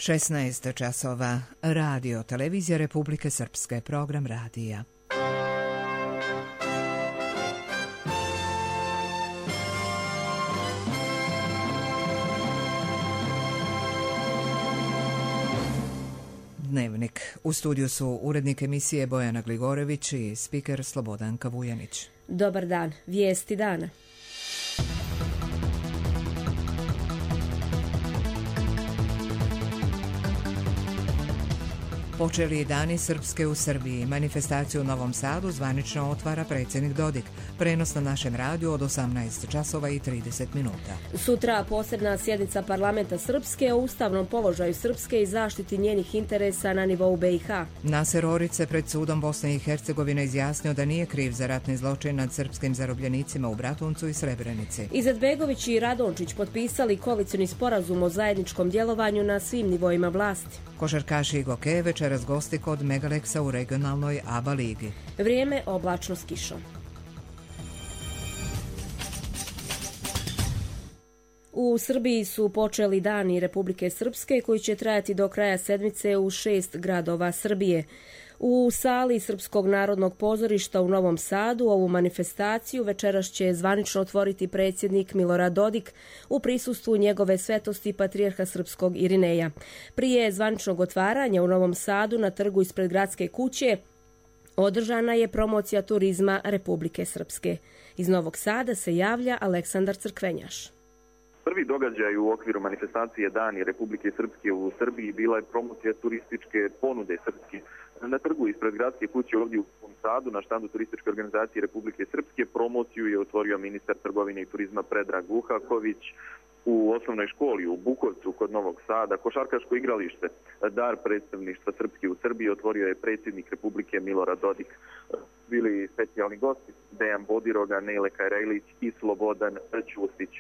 16 časova. Radio Televizija Republike Srpske. Program radija. Dnevnik. U studiju su urednik emisije Bojana Gligorević i spiker Slobodanka Vujanić. Dobar dan. Vijesti dana. Počeli dani Srpske u Srbiji. Manifestaciju u Novom Sadu zvanično otvara predsjednik Dodik. Prenos na našem radiju od 18 časova i 30 minuta. Sutra posebna sjednica parlamenta Srpske o ustavnom položaju Srpske i zaštiti njenih interesa na nivou BiH. Naser Orić pred sudom Bosne i Hercegovine izjasnio da nije kriv za ratni zločin nad srpskim zarobljenicima u Bratuncu i Srebrenici. Izetbegović i Radončić potpisali koalicioni sporazum o zajedničkom djelovanju na svim nivoima vlasti. Košarkaši Goke večeras gosti kod Megaleksa u regionalnoj ABA ligi. Vrijeme oblačno s kišom. U Srbiji su počeli dani Republike Srpske koji će trajati do kraja sedmice u 6 gradova Srbije. U sali Srpskog narodnog pozorišta u Novom Sadu ovu manifestaciju večeras će zvanično otvoriti predsjednik Milorad Dodik u prisustvu njegove svetosti patrijarha Srpskog Irineja. Prije zvaničnog otvaranja u Novom Sadu na trgu ispred gradske kuće održana je promocija turizma Republike Srpske. Iz Novog Sada se javlja Aleksandar Crkvenjaš. Prvi događaj u okviru manifestacije Dani Republike Srpske u Srbiji bila je promocija turističke ponude Srpske. Na trgu ispred gradske kuće ovdje u Novom Sadu, na štandu turističke organizacije Republike Srpske, promociju je otvorio ministar trgovine i turizma Predrag Vuhaković. U osnovnoj školi u Bukovcu kod Novog Sada košarkaško igralište dar predstavništva Srpske u Srbiji otvorio je predsjednik Republike Milorad Dodik. Bili specijalni gosti Dejan Bodiroga, Nele Kajrajlić i Slobodan Ćustić.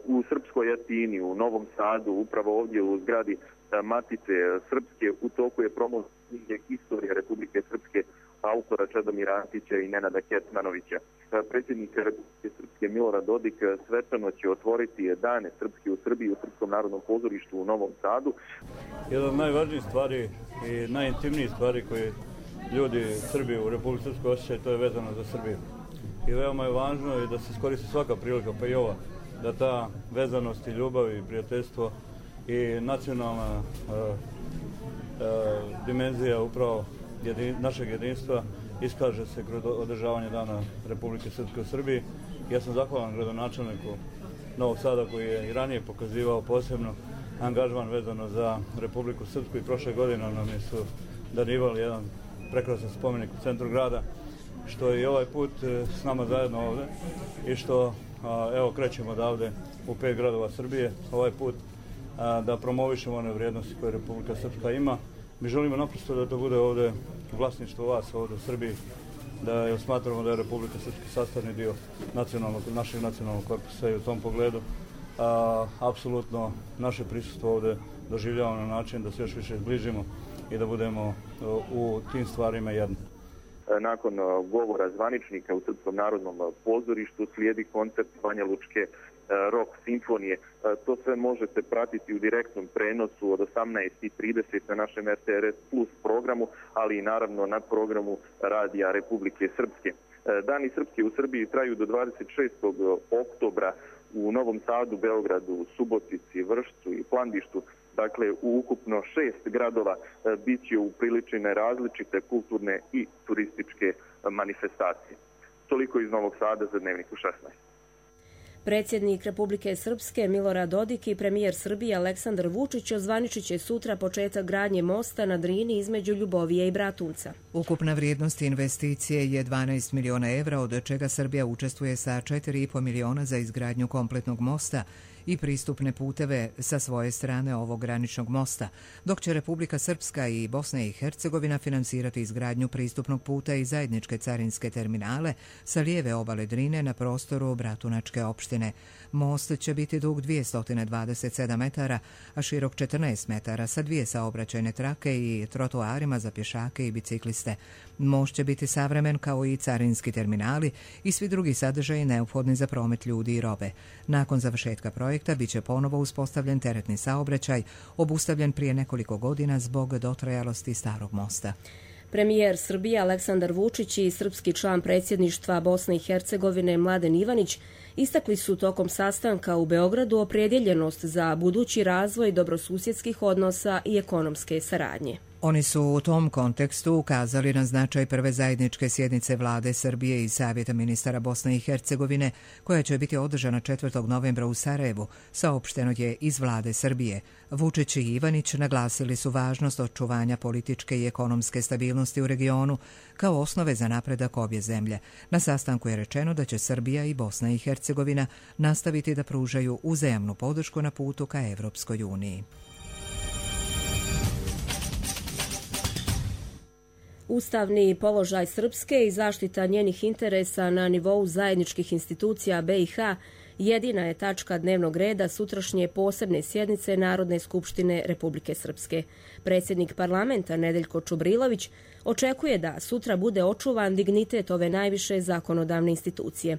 U Srpskoj Atini, u Novom Sadu, upravo ovdje u zgradi Matice Srpske, u toku je promocija Istorija Republike Srpske autora Čedomira Antića i Nenada Ketmanovića. Predsjednik Republike Srpske Milorad Dodik svečano će otvoriti dane Srpske u Srbiji u Srpskom narodnom pozorištu u Novom Sadu. Jedna od najvažnijih stvari i najintimnijih stvari koje ljudi Srbije u Republike Srpskoj osjećaju, to je vezano za Srbiju. I veoma je važno da se iskoristi svaka prilika, pa i ova, da ta vezanost i ljubav i prijateljstvo i nacionalna dimenzija upravo našeg jedinstva iskaže se kroz održavanje Dana Republike Srpske u Srbiji. Ja sam zahvalan gradonačelniku Novog Sada koji je i ranije pokazivao posebno angažman vezano za Republiku Srpsku i prošle godine nam su darivali jedan prekrasan spomenik u centru grada, što je i ovaj put s nama zajedno ovdje i što evo krećemo odavde u 5 gradova Srbije, ovaj put da promovišemo one vrijednosti koje Republika Srpska ima. Mi želimo naprosto da to bude ovdje vlasništvo vas ovdje u Srbiji, da smatramo da je Republika Srpska sastavni dio našeg nacionalnog korpusa i u tom pogledu apsolutno naše prisustvo ovdje doživljavamo na način da se još više zbližimo i da budemo u tim stvarima jedni. Nakon govora zvaničnika u Srpskom narodnom pozorištu slijedi koncert Banja Lučke rock simfonije. To sve možete pratiti u direktnom prenosu od 18:30 na našem RTRS Plus programu, ali i naravno na programu Radija Republike Srpske. Dani Srpske u Srbiji traju do 26. oktobra u Novom Sadu, Beogradu, Subotici, Vršcu i Plandištu. Dakle, u ukupno 6 gradova bit će upriličene različite kulturne i turističke manifestacije. Toliko iz Novog Sada za Dnevnik u 16. Predsjednik Republike Srpske Milorad Dodik i premijer Srbije Aleksandar Vučić ozvaničit će sutra početak gradnje mosta na Drini između Ljubovije i Bratunca. Ukupna vrijednost investicije je 12 miliona evra, od čega Srbija učestvuje sa 4,5 miliona za izgradnju kompletnog mosta i pristupne puteve sa svoje strane ovog graničnog mosta, dok će Republika Srpska i Bosna i Hercegovina finansirati izgradnju pristupnog puta i zajedničke carinske terminale sa lijeve obale Drine na prostoru Bratunačke opštine. skupštine. Most će biti dug 227 metara, a širok 14 metara sa 2 saobraćajne trake i trotoarima za pješake i bicikliste. Most će biti savremen kao i carinski terminali i svi drugi sadržaji neophodni za promet ljudi i robe. Nakon završetka projekta biće ponovo uspostavljen teretni saobraćaj, obustavljen prije nekoliko godina zbog dotrajalosti starog mosta. Premijer Srbije Aleksandar Vučić i srpski član predsjedništva Bosne i Hercegovine Mladen Ivanić istakli su tokom sastanka u Beogradu opredjeljenost za budući razvoj dobrosusjedskih odnosa i ekonomske saradnje. Oni su u tom kontekstu ukazali na značaj prve zajedničke sjednice Vlade Srbije i Savjeta ministara Bosne i Hercegovine, koja će biti održana 4. novembra u Sarajevu, saopšteno je iz Vlade Srbije. Vučić i Ivanić naglasili su važnost očuvanja političke i ekonomske stabilnosti u regionu kao osnove za napredak obje zemlje. Na sastanku je rečeno da će Srbija i Bosna i Hercegovina nastaviti da pružaju uzajamnu podršku na putu ka Evropskoj uniji. Ustavni položaj Srpske i zaštita njenih interesa na nivou zajedničkih institucija BiH jedina je tačka dnevnog reda sutrašnje posebne sjednice Narodne skupštine Republike Srpske. Predsjednik parlamenta Nedeljko Čubrilović očekuje da sutra bude očuvan dignitet ove najviše zakonodavne institucije.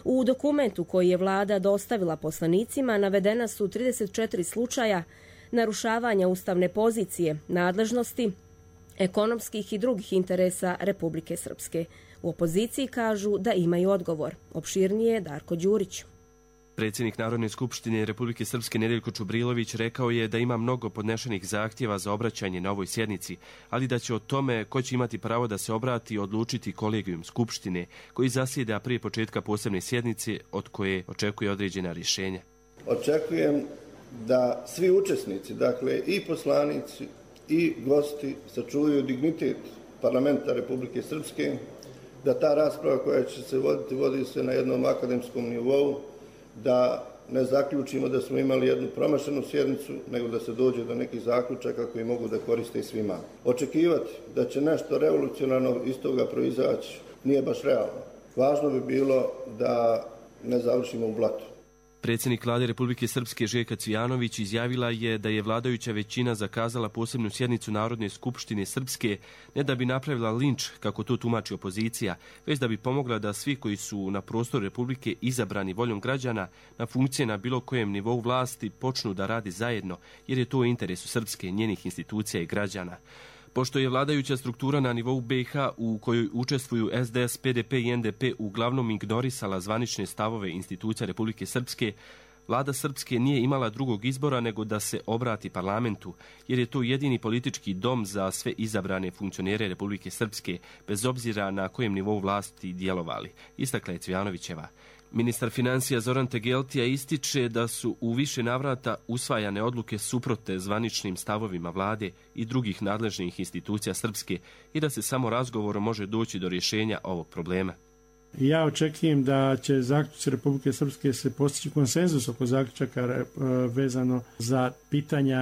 U dokumentu koji je vlada dostavila poslanicima navedena su 34 slučaja narušavanja ustavne pozicije, nadležnosti, ekonomskih i drugih interesa Republike Srpske. U opoziciji kažu da imaju odgovor. Opširnije Darko Đurić. Predsjednik Narodne skupštine Republike Srpske Nedeljko Čubrilović rekao je da ima mnogo podnešenih zahtjeva za obraćanje na ovoj sjednici, ali da će o tome ko će imati pravo da se obrati odlučiti kolegijum skupštine, koji zasjeda prije početka posebne sjednice od koje očekuje određena rješenja. Očekujem da svi učesnici, dakle i poslanici i gosti, sačuvaju dignitet parlamenta Republike Srpske, da ta rasprava koja će se voditi, vodi se na jednom akademskom nivou, da ne zaključimo da smo imali jednu promašenu sjednicu, nego da se dođe do nekih zaključaka koji mogu da koriste i svima. Očekivati da će nešto revolucionarno iz toga proizaći nije baš realno. Važno bi bilo da ne završimo u blatu. Predsjednik Vlade Republike Srpske Željka Cvijanović izjavila je da je vladajuća većina zakazala posebnu sjednicu Narodne skupštine Srpske ne da bi napravila linč, kako to tumači opozicija, već da bi pomogla da svi koji su na prostoru Republike izabrani voljom građana na funkcije na bilo kojem nivou vlasti počnu da radi zajedno, jer je to u interesu Srpske, njenih institucija i građana. Pošto je vladajuća struktura na nivou BiH u kojoj učestvuju SDS, PDP i NDP uglavnom ignorisala zvanične stavove institucija Republike Srpske, Vlada Srpske nije imala drugog izbora nego da se obrati parlamentu, jer je to jedini politički dom za sve izabrane funkcionere Republike Srpske, bez obzira na kojem nivou vlasti djelovali, istakla je Cvijanovićeva. Ministar financija Zoran Tegeltija ističe da su u više navrata usvajane odluke suprotne zvaničnim stavovima vlade i drugih nadležnih institucija Srpske i da se samo razgovorom može doći do rješenja ovog problema. Ja očekujem da će zaključci Republike Srpske se postići konsenzus oko zaključaka vezano za pitanja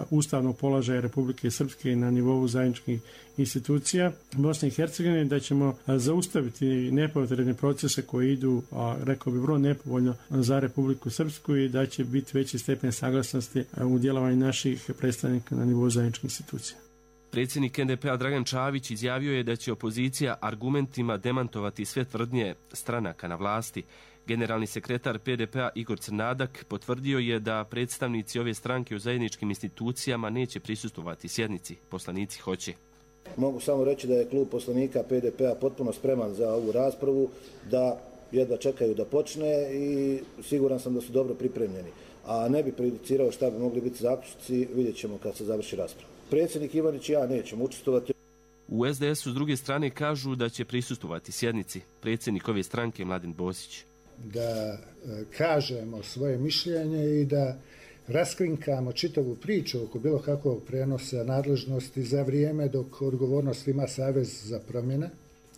ustavnog položaja Republike Srpske na nivou zajedničkih institucija Bosne i Hercegovine, da ćemo zaustaviti nepotrebne procese koji idu, rekao bi, vrlo nepovoljno za Republiku Srpsku i da će biti veći stepen saglasnosti u djelovanju naših predstavnika na nivou zajedničkih institucija. Predsjednik NDP-a Dragan Čavić izjavio je da će opozicija argumentima demantovati sve tvrdnje stranaka na vlasti. Generalni sekretar PDP-a Igor Crnadak potvrdio je da predstavnici ove stranke u zajedničkim institucijama neće prisustvovati sjednici. Poslanici hoće. Mogu samo reći da je klub poslanika PDP-a potpuno spreman za ovu raspravu, da jedva čekaju da počne i siguran sam da su dobro pripremljeni. A ne bi prejudicirao šta bi mogli biti zaključci, vidjet ćemo kad se završi rasprava. Predsjednik Ivanić i ja nećemo učestvovati. U SDS-u s druge strane kažu da će prisustvovati sjednici. Predsjednik ove stranke Mladen Bosić. Da kažemo svoje mišljenje i da raskrinkamo čitavu priču oko bilo kakvog prenosa nadležnosti za vrijeme dok odgovornost ima Savez za promjene.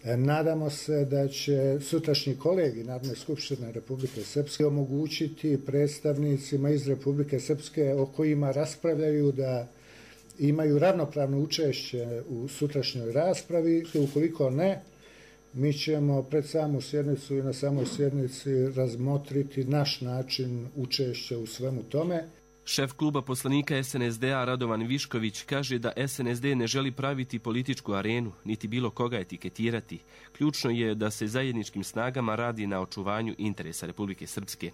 Nadamo se da će sutrašnji kolegi Narodne skupštine Republike Srpske omogućiti predstavnicima iz Republike Srpske o kojima raspravljaju da imaju ravnopravno učešće u sutrašnjoj raspravi. Ukoliko ne, mi ćemo pred samu sjednicu i na samoj sjednici razmotriti naš način učešća u svemu tome. Šef kluba poslanika SNSD-a Radovan Višković kaže da SNSD ne želi praviti političku arenu, niti bilo koga etiketirati. Ključno je da se zajedničkim snagama radi na očuvanju interesa Republike Srpske.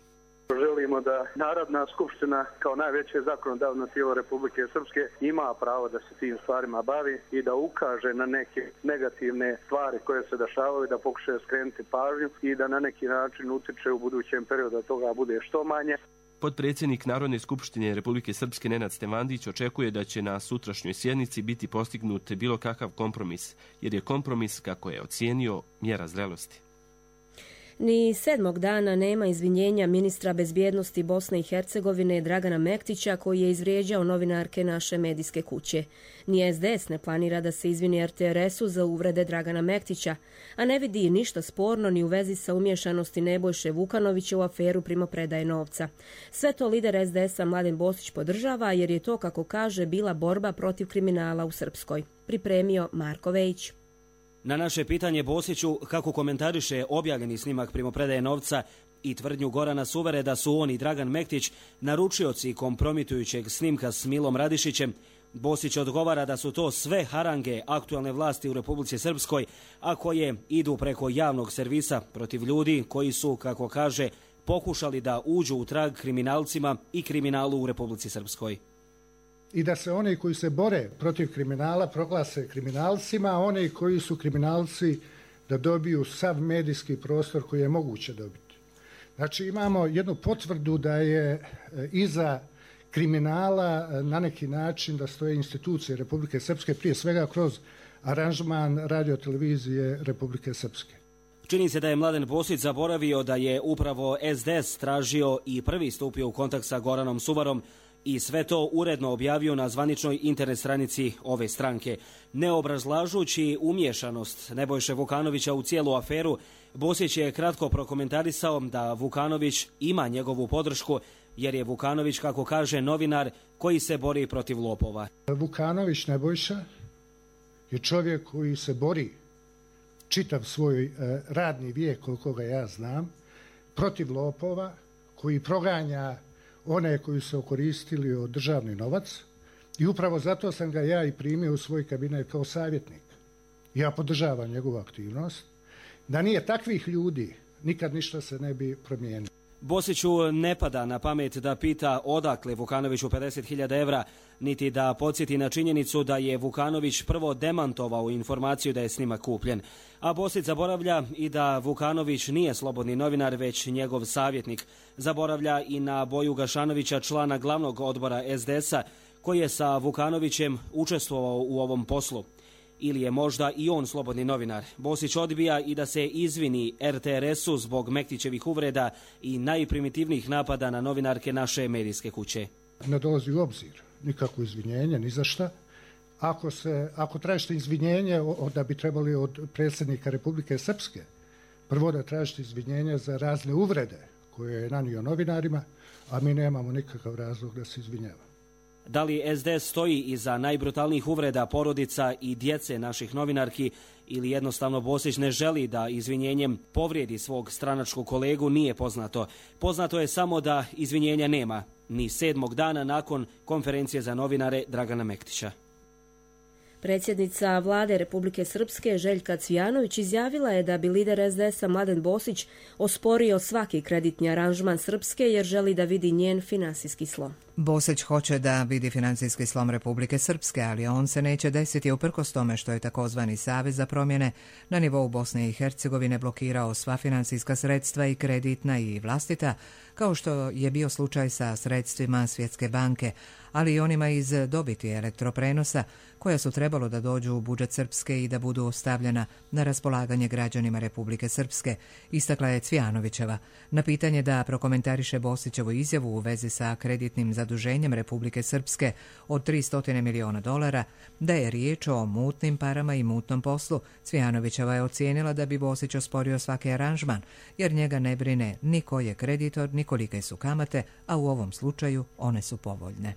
Želimo da Narodna skupština kao najveće zakonodavno tijelo Republike Srpske ima pravo da se tim stvarima bavi i da ukaže na neke negativne stvari koje se dešavaju, da pokušaju skrenuti pažnju i da na neki način utiče u budućem periodu da toga bude što manje. Potpredsjednik Narodne skupštine Republike Srpske Nenad Stevandić očekuje da će na sutrašnjoj sjednici biti postignut bilo kakav kompromis, jer je kompromis, kako je ocijenio, mjera zrelosti. Ni 7. dana nema izvinjenja ministra bezbjednosti Bosne i Hercegovine Dragana Mektića, koji je izvrijeđao novinarke naše medijske kuće. Ni SDS ne planira da se izvini RTRS-u za uvrede Dragana Mektića, a ne vidi ništa sporno ni u vezi sa umješanosti Nebojše Vukanovića u aferu primopredaje novca. Sve to lider SDS-a Mladen Bosić podržava, jer je to, kako kaže, bila borba protiv kriminala u Srpskoj. Pripremio Marko Vejić. Na naše pitanje Bosiću kako komentariše objavljeni snimak primopredaje novca i tvrdnju Gorana Suvere da su on i Dragan Mektić naručioci kompromitujućeg snimka s Milom Radišićem, Bosić odgovara da su to sve harange aktualne vlasti u Republici Srpskoj, a koje idu preko javnog servisa protiv ljudi koji su, kako kaže, pokušali da uđu u trag kriminalcima i kriminalu u Republici Srpskoj. I da se oni koji se bore protiv kriminala proglase kriminalcima, a oni koji su kriminalci da dobiju sav medijski prostor koji je moguće dobiti. Znači imamo jednu potvrdu da je iza kriminala na neki način da stoje institucije Republike Srpske, prije svega kroz aranžman radiotelevizije Republike Srpske. Čini se da je Mladen Bosić zaboravio da je upravo SDS tražio i prvi stupio u kontakt sa Goranom Suvarom i sve to uredno objavio na zvaničnoj internet stranici ove stranke. Ne obrazlažući umješanost Nebojše Vukanovića u cijelu aferu, Bosić je kratko prokomentarisao da Vukanović ima njegovu podršku, jer je Vukanović, kako kaže, novinar koji se bori protiv lopova. Vukanović Nebojša je čovjek koji se bori čitav svoj radni vijek, koliko ga ja znam, protiv lopova, koji proganja one koji su okoristili od državni novac, i upravo zato sam ga ja i primio u svoj kabinet kao savjetnik. Ja podržavam njegovu aktivnost. Da nije takvih ljudi, nikad ništa se ne bi promijenilo. Bosiću ne pada na pamet da pita odakle Vukanoviću 50.000 evra, niti da podsjeti na činjenicu da je Vukanović prvo demantovao informaciju da je snimak kupljen. A Bosić zaboravlja i da Vukanović nije slobodni novinar, već njegov savjetnik. Zaboravlja i na Boju Gašanovića, člana glavnog odbora SDS-a, koji je sa Vukanovićem učestvovao u ovom poslu. Ili je možda i on slobodni novinar? Bosić odbija i da se izvini RTRS-u zbog Mektićevih uvreda i najprimitivnijih napada na novinarke naše medijske kuće. Ne dolazi u obzir nikako izvinjenje, ni za šta. Ako tražite izvinjenje, da bi trebali od predsjednika Republike Srpske, prvo da tražite izvinjenje za razne uvrede koje je nanio novinarima, a mi nemamo nikakav razlog da se izvinjava. Da li SDS stoji iza najbrutalnijih uvreda porodica i djece naših novinarki, ili jednostavno Bosić ne želi da izvinjenjem povrijedi svog stranačkog kolegu, nije poznato. Poznato je samo da izvinjenja nema, ni 7. dana nakon konferencije za novinare Dragana Mektića. Predsjednica vlade Republike Srpske Željka Cvijanović izjavila je da bi lider SDS-a Mladen Bosić osporio svaki kreditni aranžman Srpske jer želi da vidi njen finansijski slom. Bosić hoće da vidi financijski slom Republike Srpske, ali on se neće desiti uprkos tome što je takozvani Savez za promjene na nivou Bosne i Hercegovine blokirao sva financijska sredstva, i kreditna i vlastita, kao što je bio slučaj sa sredstvima Svjetske banke, ali i onima iz dobiti elektroprenosa, koja su trebalo da dođu u budžet Srpske i da budu stavljena na raspolaganje građanima Republike Srpske, istakla je Cvijanovićeva. Na pitanje da prokomentariše Bosićevu izjavu u vezi sa kreditnim zaduženjem Republike Srpske od $300 miliona, da je riječ o mutnim parama i mutnom poslu, Cvijanovićeva je ocijenila da bi Bosić osporio svaki aranžman, jer njega ne brine ni ko je kreditor, ni kolike su kamate, a u ovom slučaju one su povoljne.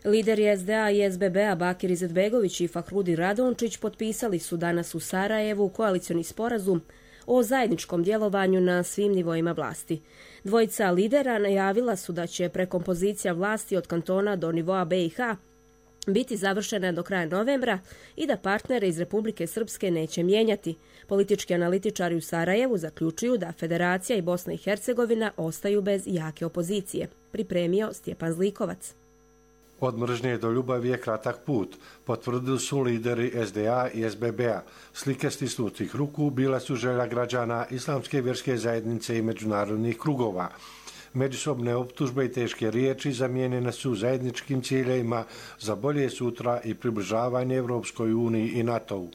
Lideri SDA i SBB-a Bakir Izetbegović i Fahrudin Radončić potpisali su danas u Sarajevu koalicioni sporazum o zajedničkom djelovanju na svim nivoima vlasti. Dvojica lidera najavila su da će prekompozicija vlasti od kantona do nivoa BiH biti završena do kraja novembra i da partnere iz Republike Srpske neće mijenjati. Politički analitičari u Sarajevu zaključuju da Federacija i Bosna i Hercegovina ostaju bez jake opozicije. Pripremio Stjepan Zlikovac. Od mržnje do ljubavi je kratak put, potvrdili su lideri SDA i SBB-a. Slike stisnutih ruku bila su želja građana Islamske vjerske zajednice i međunarodnih krugova. Međusobne optužbe i teške riječi zamijenjene su zajedničkim ciljevima za bolje sutra i približavanje Evropskoj uniji i NATO-u.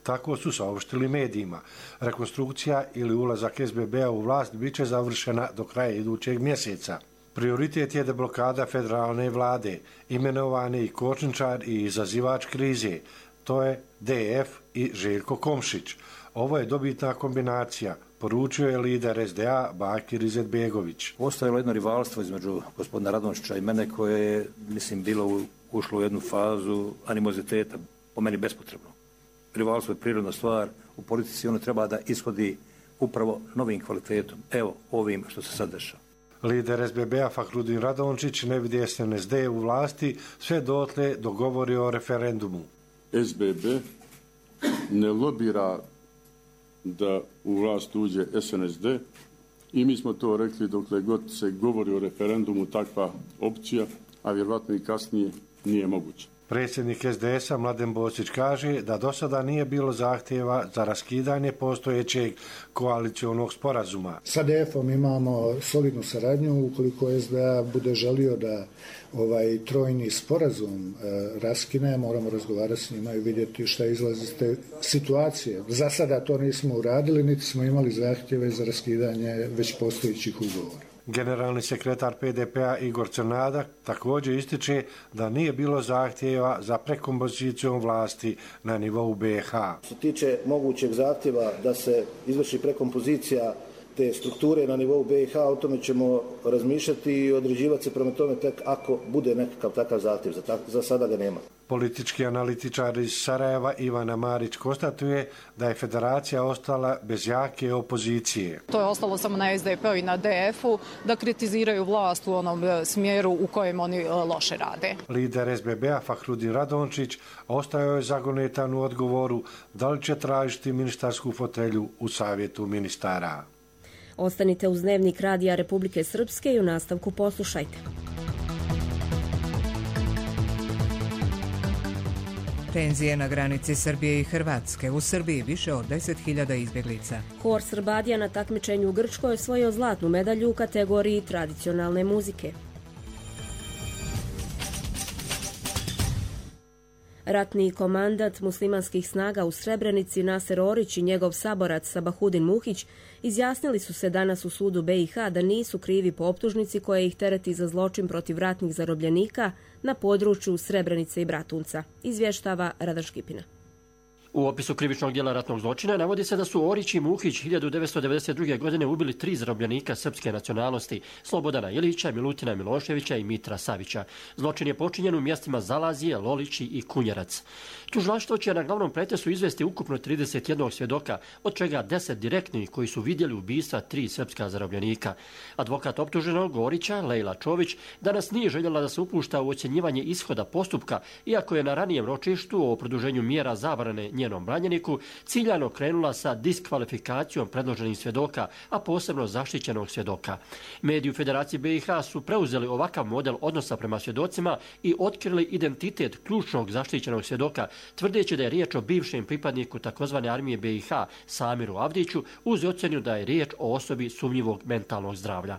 Tako su saopštili medijima. Rekonstrukcija ili ulazak SBB-a u vlast bit će završena do kraja idućeg mjeseca. Prioritet je deblokada federalne vlade, imenovani i kočničar i izazivač krize. To je DF i Željko Komšić. Ovo je dobitna kombinacija, poručio je lider SDA Bakir Izetbegović. Postojalo jedno rivalstvo između gospodina Radončića i mene koje je, mislim, ušlo u jednu fazu animoziteta, po meni bespotrebno. Rivalstvo je prirodna stvar, u politici ono treba da ishodi upravo novim kvalitetom, evo ovim što se sad dešava. Lider SBB-a Fahrudin Radončić ne vidi SNSD u vlasti sve dotle dogovori o referendumu. SBB ne lobira da u vlast uđe SNSD i mi smo to rekli dokle god se govori o referendumu, takva opcija, a vjerovatno i kasnije, nije moguće. Predsjednik SDS-a Mladen Bosić kaže da do sada nije bilo zahtjeva za raskidanje postojećeg koalicionog sporazuma. Sa DF-om imamo solidnu saradnju. Ukoliko SDA bude želio da ovaj trojni sporazum raskine, moramo razgovarati s njima i vidjeti šta izlazi iz te situacije. Za sada to nismo uradili, niti smo imali zahtjeve za raskidanje već postojećih ugovora. Generalni sekretar PDP-a Igor Crnadak također ističe da nije bilo zahtjeva za prekompozicijom vlasti na nivou BiH. Što se tiče mogućeg zahtjeva da se izvrši prekompozicija te strukture na nivou BiH, o tome ćemo razmišljati i određivati se prema tome tek ako bude nekakav takav zahtjev. Za sada ga nema. Politički analitičar iz Sarajeva Ivana Marić konstatuje da je federacija ostala bez jake opozicije. To je ostalo samo na SDP-u i na DF-u da kritiziraju vlast u onom smjeru u kojem oni loše rade. Lider SBB-a Fahrudin Radončić ostao je zagonetan u odgovoru da li će tražiti ministarsku fotelju u savjetu ministara. Ostanite uz Dnevnik Radija Republike Srpske i u nastavku poslušajte. Tenzije na granici Srbije i Hrvatske. U Srbiji više od 10.000 izbjeglica. Hor Srbadija na takmičenju u Grčkoj je osvojio zlatnu medalju u kategoriji tradicionalne muzike. Ratni komandant muslimanskih snaga u Srebrenici Naser Orić i njegov saborac Sabahudin Muhić izjasnili su se danas u sudu BiH da nisu krivi po optužnici koja ih tereti za zločin protiv ratnih zarobljenika na području Srebrenice i Bratunca, izvještava Radan Škipina. U opisu krivičnog djela ratnog zločina navodi se da su Orić i Muhić 1992. godine ubili 3 zarobljenika srpske nacionalnosti, Slobodana Ilića, Milutina Miloševića i Mitra Savića. Zločin je počinjen u mjestima Zalazije, Lolići i Kunjerac. Tužilaštvo će na glavnom pretresu izvesti ukupno 31 svjedoka, od čega 10 direktnih koji su vidjeli ubistva 3 srpska zarobljenika. Advokat optuženog Orića, Lejla Čović, danas nije željela da se upušta u ocjenjivanje ishoda postupka, iako je na ranijem ročištu o produženju mjera zabrane njenom branjeniku ciljano krenula sa diskvalifikacijom predloženih svjedoka, a posebno zaštićenog svjedoka. Mediji u Federaciji BiH su preuzeli ovakav model odnosa prema svjedocima i otkrili identitet ključnog zaštićenog svjedoka, tvrdeći da je riječ o bivšem pripadniku tzv. armije BiH Samiru Avdiću, uz ocjenu da je riječ o osobi sumnjivog mentalnog zdravlja.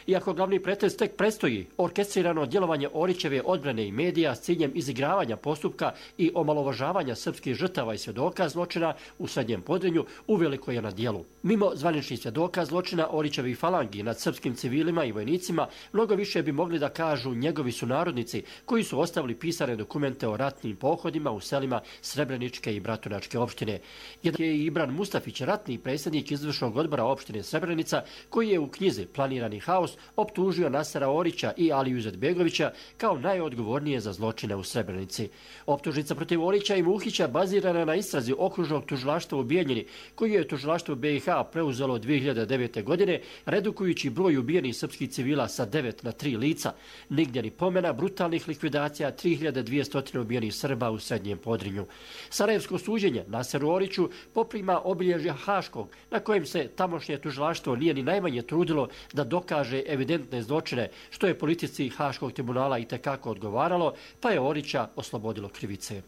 Iako glavni pretres tek predstoji, orkestrirano djelovanje Orićeve odbrane i medija s ciljem izigravanja postupka i omalovažavanja srpskih žrtava i svjedoka svjedoka zločina u Srednjem Podrinju uveliko je na dijelu. Mimo zvaničnih svjedoka zločina Orićevih falangi nad srpskim civilima i vojnicima, mnogo više bi mogli da kažu njegovi sunarodnici koji su ostavili pisane dokumente o ratnim pohodima u selima Srebreničke i Bratunačke opštine. Jedan je i Ibran Mustafić, ratni predsjednik izvršnog odbora opštine Srebrenica, koji je u knjizi Planirani haos optužio Nasera Orića i Aliju Izetbegovića kao najodgovornije za zločine u Srebrenici. Optužnica protiv Orića i Muhića bazirana na istrazi okružnog tužilaštva u Bijeljini, koji je tužilaštvo BiH preuzelo 2009. godine, redukujući broj ubijenih srpskih civila sa 9 na 3 lica. Nigdje ni pomena brutalnih likvidacija 3200 ubijenih Srba u Srednjem Podrinju. Sarajevsko suđenje Naseru Oriću poprima obilježja Haškog, na kojem se tamošnje tužilaštvo nije ni najmanje trudilo da dokaže evidentne zločine, što je politici Haškog tribunala itekako odgovaralo, pa je Orića oslobodilo krivice.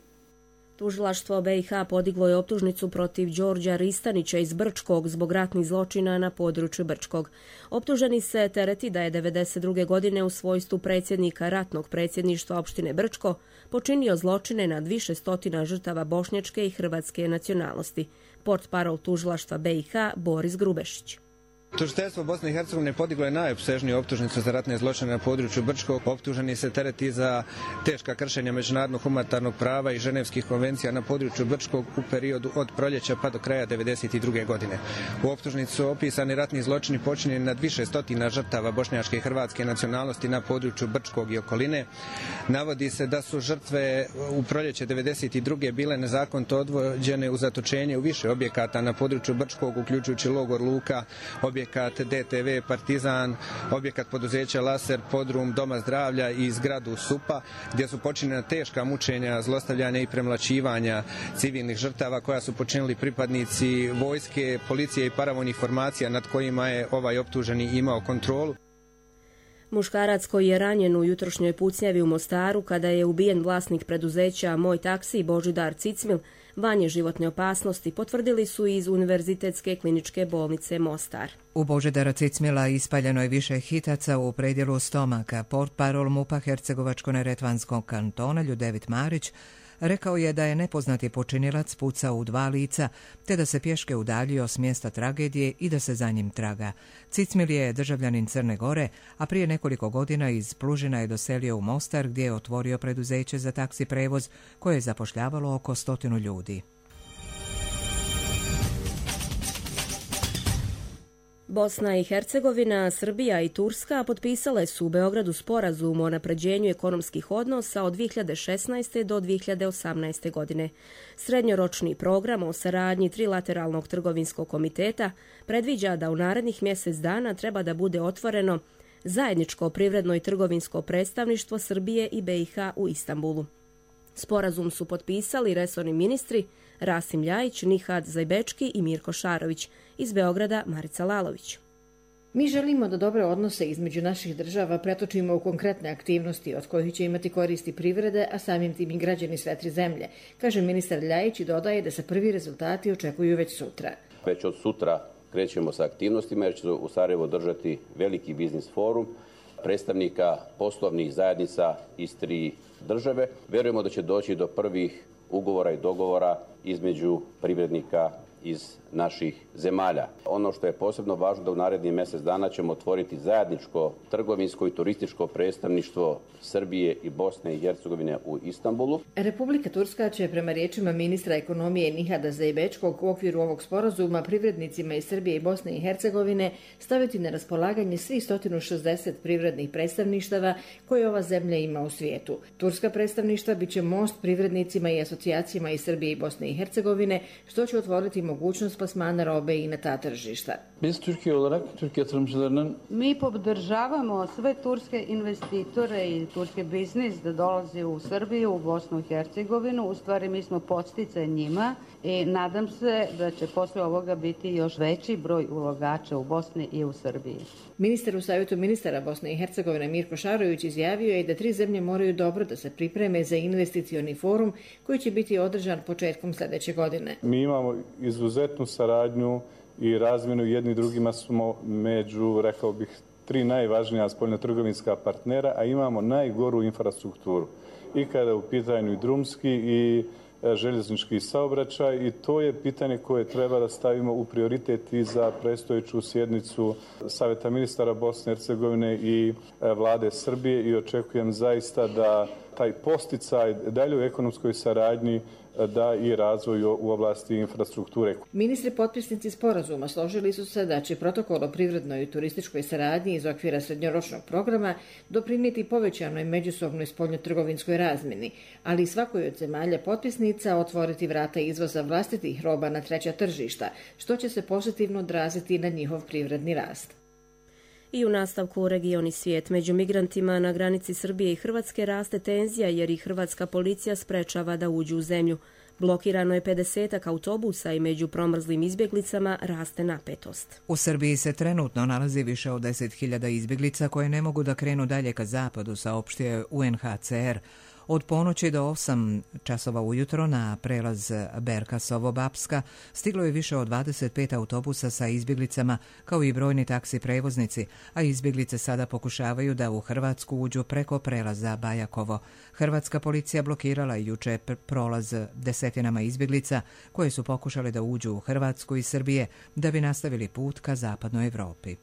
Tužilaštvo BiH podiglo je optužnicu protiv Đorđa Ristanića iz Brčkog zbog ratnih zločina na području Brčkog. Optuženi se tereti da je 1992. godine u svojstvu predsjednika ratnog predsjedništva opštine Brčko počinio zločine nad više stotina žrtava bošnjačke i hrvatske nacionalnosti. Portparol tužilaštva BiH Boris Grubešić. Tužiteljstvo Bosne i Hercegovine podiglo je najopsežniju optužnicu za ratne zločine na području Brčkog. Optuženi se tereti za teška kršenja međunarodnog humanitarnog prava i ženevskih konvencija na području Brčkog u periodu od proljeća pa do kraja 1992. godine. U optužnici su opisani ratni zločini počinjeni nad više stotina žrtava bošnjačke i hrvatske nacionalnosti na području Brčkog i okoline. Navodi se da su žrtve u proljeće 1992. bile nezakonito odvođene u zatočenje u više objekata na području Brčkog, uključujući logor Luka, objekat DTV Partizan, objekat poduzeća Laser, podrum Doma zdravlja i zgradu SUP-a, gdje su počinjena teška mučenja, zlostavljanja i premlaćivanja civilnih žrtava koja su počinili pripadnici vojske, policije i paravojnih formacija nad kojima je ovaj optuženi imao kontrolu. Muškarac koji je ranjen u jutrošnjoj pucnjavi u Mostaru kada je ubijen vlasnik preduzeća Moj taksi Božidar Cicmil, van je životne opasnosti, potvrdili su iz Univerzitetske kliničke bolnice Mostar. U Božidara Cicmila ispaljeno je više hitaca u predjelu stomaka. Portparol MUP-a Hercegovačko-neretvanskog kantona Ljudevit Marić rekao je da je nepoznati počinilac pucao u 2 lica, te da se pješke udaljio s mjesta tragedije i da se za njim traga. Cicmil je državljanin Crne Gore, a prije nekoliko godina iz Plužina je doselio u Mostar, gdje je otvorio preduzeće za taksi prevoz koje je zapošljavalo oko 100 ljudi. Bosna i Hercegovina, Srbija i Turska potpisale su u Beogradu sporazum o unapređenju ekonomskih odnosa od 2016. do 2018. godine. Srednjoročni program o saradnji Trilateralnog trgovinskog komiteta predviđa da u narednih mjesec dana treba da bude otvoreno zajedničko privredno i trgovinsko predstavništvo Srbije i BiH u Istanbulu. Sporazum su potpisali resorni ministri Rasim Ljajić, Nihad Zajbečki i Mirko Šarović. Iz Beograda Marica Lalović. Mi želimo da dobre odnose između naših država pretočimo u konkretne aktivnosti od kojih će imati koristi privrede, a samim tim i građani sve 3 zemlje, kaže ministar Ljajić i dodaje da se prvi rezultati očekuju već sutra. Već od sutra krećemo sa aktivnostima jer će u Sarajevo držati veliki biznis forum predstavnika poslovnih zajednica iz 3 države. Vjerujemo da će doći do prvih ugovora i dogovora između privrednika iz naših zemalja. Ono što je posebno važno da u narednih mjesec dana ćemo otvoriti zajedničko trgovinsko i turističko predstavništvo Srbije i Bosne i Hercegovine u Istanbulu. Republika Turska će prema riječima ministra ekonomije Nihada Zajbečkog u okviru ovog sporazuma privrednicima iz Srbije i Bosne i Hercegovine staviti na raspolaganje svih 160 privrednih predstavništava koje ova zemlja ima u svijetu. Turska predstavništva biće most privrednicima i asocijacijama iz Srbije i Bosne i Hercegovine, što će otvoriti mogućnost plasmana robe i na ta tržišta. Mi podržavamo sve turske investitore i turski biznis da dolazi u Srbiju, u Bosnu i Hercegovinu. U stvari mi smo podsticaj njima i nadam se da će posle ovoga biti još veći broj ulagača u Bosni i u Srbiji. Ministar u Savjetu ministara Bosne i Hercegovine Mirko Šarović izjavio je da 3 zemlje moraju dobro da se pripreme za investicioni forum koji će biti održan početkom sljedeće godine. Mi imamo izuzetnu saradnju i razmjenu, jedni drugima smo među, rekao bih, 3 najvažnija spoljnotrgovinska partnera, a imamo najgoru infrastrukturu. I kada je u pitanju i drumski i željeznički saobraćaj i to je pitanje koje treba da stavimo u prioritet i za predstojeću sjednicu Saveta ministara Bosne i Hercegovine i vlade Srbije i očekujem zaista da taj posticaj daljoj ekonomskoj saradnji da i razvoj u oblasti infrastrukture. Ministri potpisnici sporazuma složili su se da će protokol o privrednoj i turističkoj saradnji iz okvira srednjoročnog programa doprinijeti povećanoj međusobnoj spoljnotrgovinskoj razmjeni, ali svakoj od zemalja potpisnica otvoriti vrata izvoza vlastitih roba na treća tržišta, što će se pozitivno odraziti na njihov privredni rast. I u nastavku region i svijet. Među migrantima na granici Srbije i Hrvatske raste tenzija jer i hrvatska policija sprečava da uđu u zemlju. Blokirano je 50 autobusa i među promrzlim izbjeglicama raste napetost. U Srbiji se trenutno nalazi više od 10.000 izbjeglica koje ne mogu da krenu dalje ka zapadu, saopštio UNHCR. Od ponoći do 8 časova ujutro na prelaz Berkasovo-Bapska stiglo je više od 25 autobusa sa izbjeglicama kao i brojni taksi prevoznici, a izbjeglice sada pokušavaju da u Hrvatsku uđu preko prelaza Bajakovo. Hrvatska policija blokirala juče prolaz desetinama izbjeglica koje su pokušale da uđu u Hrvatsku i Srbije da bi nastavili put ka zapadnoj Evropi.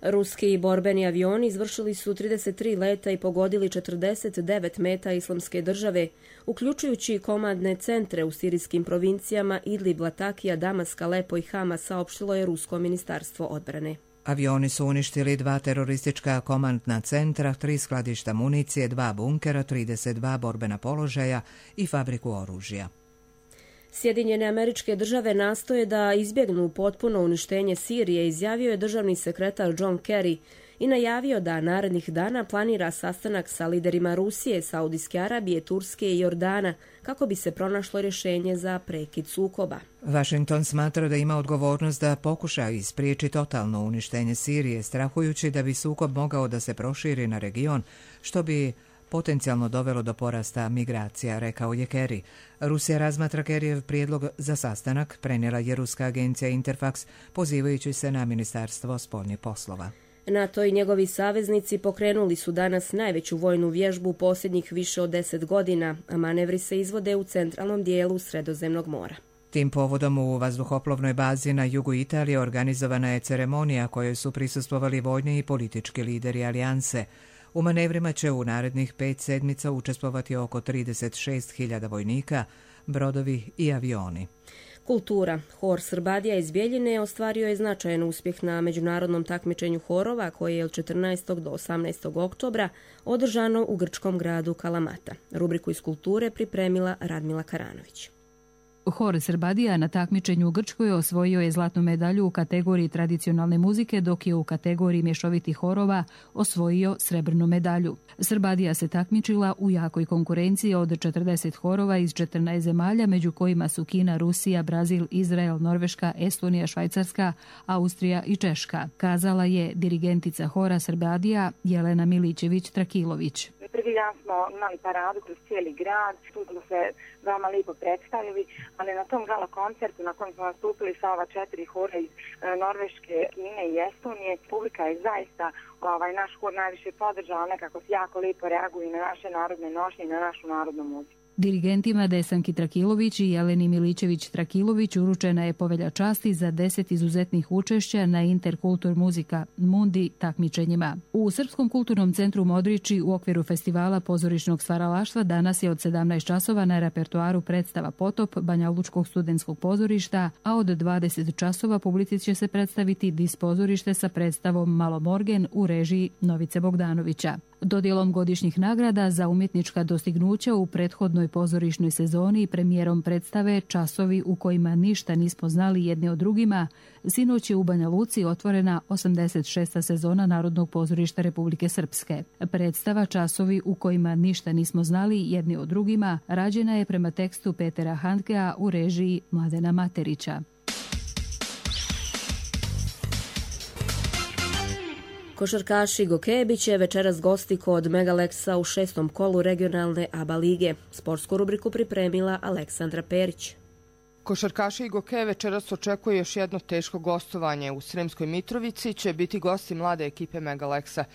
Ruski borbeni avioni izvršili su 33 leta i pogodili 49 meta Islamske države, uključujući komandne centre u sirijskim provincijama Idlib, Latakija, Damaska, Alepo i Hama, saopštilo je Rusko ministarstvo odbrane. Avioni su uništili 2 teroristička komandna centra, 3 skladišta municije, 2 bunkera, 32 borbena položaja i fabriku oružja. Sjedinjene Američke Države nastoje da izbjegnu potpuno uništenje Sirije, izjavio je državni sekretar John Kerry i najavio da narednih dana planira sastanak sa liderima Rusije, Saudijske Arabije, Turske i Jordana kako bi se pronašlo rješenje za prekid sukoba. Washington smatra da ima odgovornost da pokuša ispriječi totalno uništenje Sirije, strahujući da bi sukob mogao da se proširi na region, što bi potencijalno dovelo do porasta migracija, rekao je Kerry. Rusija razmatra Kerryjev prijedlog za sastanak, prenijela je ruska agencija Interfax, pozivajući se na Ministarstvo spoljnih poslova. NATO i njegovi saveznici pokrenuli su danas najveću vojnu vježbu u posljednjih više od 10 godina, a manevri se izvode u centralnom dijelu Sredozemnog mora. Tim povodom u vazduhoplovnoj bazi na jugu Italije organizovana je ceremonija kojoj su prisustvovali vojni i politički lideri alijanse. U manevrima će u narednih 5 sedmica učestvovati oko 36.000 vojnika, brodovi i avioni. Kultura. Hor Srbadija iz Bjeljine ostvario je značajan uspjeh na međunarodnom takmičenju horova koje je od 14. do 18. oktobra održano u grčkom gradu Kalamata. Rubriku iz kulture pripremila Radmila Karanović. Hor Srbadija na takmičenju u Grčkoj osvojio je zlatnu medalju u kategoriji tradicionalne muzike, dok je u kategoriji mješovitih horova osvojio srebrnu medalju. Srbadija se takmičila u jakoj konkurenciji od 40 horova iz 14 zemalja, među kojima su Kina, Rusija, Brazil, Izrael, Norveška, Estonija, Švajcarska, Austrija i Češka, kazala je dirigentica hora Srbadija Jelena Milićević-Trakilović. Prvi dan smo imali paradu kroz cijeli grad, tu smo se veoma lijepo predstavili, ali na tom gala koncertu na kojem smo nastupili sa ova 4 hora iz Norveške, Kine i Estonije, publika je zaista naš hor najviše podržala, nekako jako lijepo reaguju na naše narodne nošnje i na našu narodnu muziku. Dirigentima Desanki Trakilović i Jeleni Milićević-Trakilović uručena je povelja časti za 10 izuzetnih učešća na Interkultur muzika Mundi takmičenjima. U Srpskom kulturnom centru Modriči u okviru festivala pozorišnog stvaralaštva danas je od 17 časova na repertoaru predstava Potop Banjalučkog studentskog pozorišta, a od 20 časova publici će se predstaviti dispozorište sa predstavom Malomorgen u režiji Novice Bogdanovića. Dodjelom godišnjih nagrada za umjetnička dostignuća u prethodnoj pozorišnoj sezoni i premijerom predstave Časovi u kojima ništa nismo znali jedni o drugima, sinoć je u Banja Luci otvorena 86. sezona Narodnog pozorišta Republike Srpske. Predstava Časovi u kojima ništa nismo znali jedni o drugima rađena je prema tekstu Petera Handkea u režiji Mladena Materića. Košarkaši Gokebi će večeras gosti kod Megaleksa u 6. kolu regionalne ABA lige. Sportsku rubriku pripremila Aleksandra Perić. Košarkaši Igoke večeras očekuje još jedno teško gostovanje. U Sremskoj Mitrovici će biti gosti mlade ekipe Mega Leksa.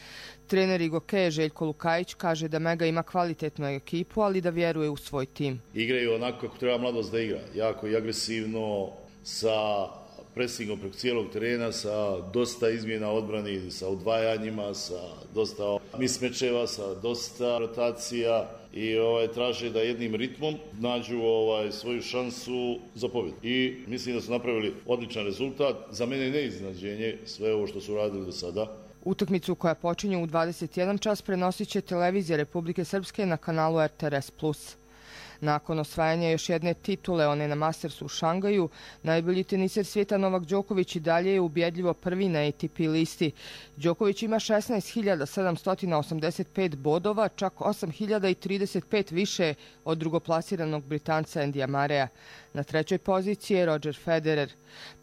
Trener Igoke Željko Lukajić kaže da Mega ima kvalitetnu ekipu, ali da vjeruje u svoj tim. Igraju onako kako treba mladost da igra. Jako i agresivno, sa presingom preko cijelog terena, sa dosta izmjena odbrani, sa udvajanjima, sa dosta mismečeva, sa dosta rotacija i traže da jednim ritmom nađu svoju šansu za pobjedu. I mislim da su napravili odličan rezultat. Za mene je neiznenađenje sve ovo što su radili do sada. Utakmicu koja počinje u 21 čas prenosit će televizija Republike Srpske na kanalu RTRS+. Nakon osvajanja još jedne titule, one na Mastersu u Šangaju, najbolji teniser svijeta Novak Đoković i dalje je ubjedljivo prvi na ATP listi. Đoković ima 16.785 bodova, čak 8.035 više od drugoplasiranog Britanca Endija Marea. Na trećoj poziciji je Roger Federer.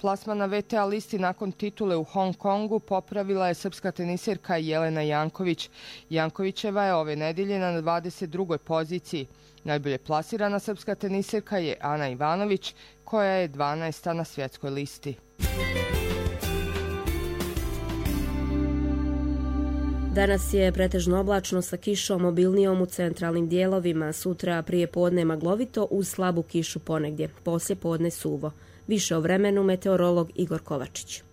Plasman na VTA listi nakon titule u Hong Kongu popravila je srpska teniserka Jelena Janković. Jankovićeva je ove nedelje na 22. poziciji. Najbolje plasirana srpska teniserka je Ana Ivanović, koja je 12. na svjetskoj listi. Danas je pretežno oblačno sa kišom obilnijom u centralnim dijelovima. Sutra prije podne maglovito uz slabu kišu ponegdje. Poslije podne suvo. Više o vremenu meteorolog Igor Kovačić.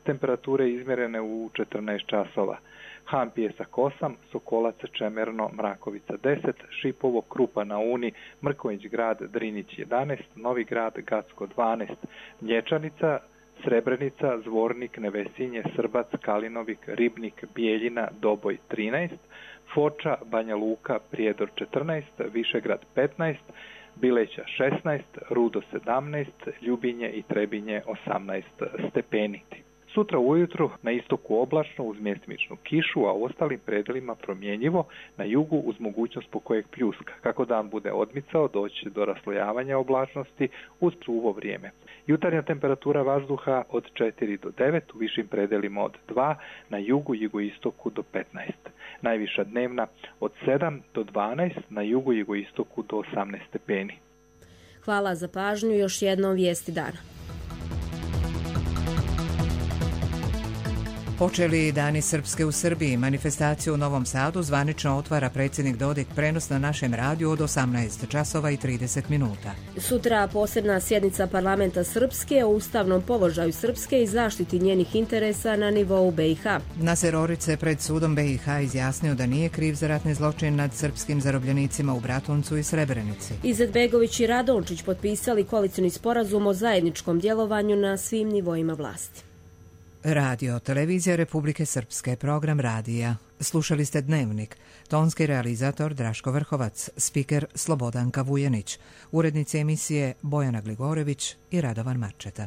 Temperature izmjerene u 14 časova. Han Pijesak 8, Sokolac Čemerno, Mrakovica 10, Šipovo, Krupa na Uni, Mrković grad, Drinić 11, Novi grad, Gacko 12, Mlječanica, Srebrenica, Zvornik, Nevesinje, Srbac, Kalinovik, Ribnik, Bijeljina, Doboj 13, Foča, Banja Luka, Prijedor 14, Višegrad 15, Bileća 16, Rudo 17, Ljubinje i Trebinje 18 stepeni. Sutra ujutru na istoku oblačno uz mjestimičnu kišu, a u ostalim predelima promjenjivo, na jugu uz mogućnost po kojeg pljuska. Kako dan bude odmicao, doći do raslojavanja oblačnosti uz suvo vrijeme. Jutarnja temperatura vazduha od 4 do 9, u višim predelima od 2, na jugu, jugoistoku do 15. Najviša dnevna od 7 do 12, na jugu, jugoistoku do 18 stepeni. Hvala za pažnju, još jednom vijesti dana. Počeli Dani Srpske u Srbiji. Manifestaciju u Novom Sadu zvanično otvara predsjednik Dodik. Prenos na našem radiju od 18 časova i 30 minuta. Sutra posebna sjednica parlamenta Srpske o ustavnom položaju Srpske i zaštiti njenih interesa na nivou BiH. Naser Orić pred sudom BiH izjasnio da nije kriv za ratni zločin nad srpskim zarobljenicima u Bratuncu i Srebrenici. Izetbegović i Radončić potpisali koalicioni sporazum o zajedničkom djelovanju na svim nivoima vlasti. Radio, televizija Republike Srpske, program radija. Slušali ste Dnevnik. Tonski realizator Draško Vrhovac, spiker Slobodanka Vujanić, urednici emisije Bojana Gligorević i Radovan Marčeta.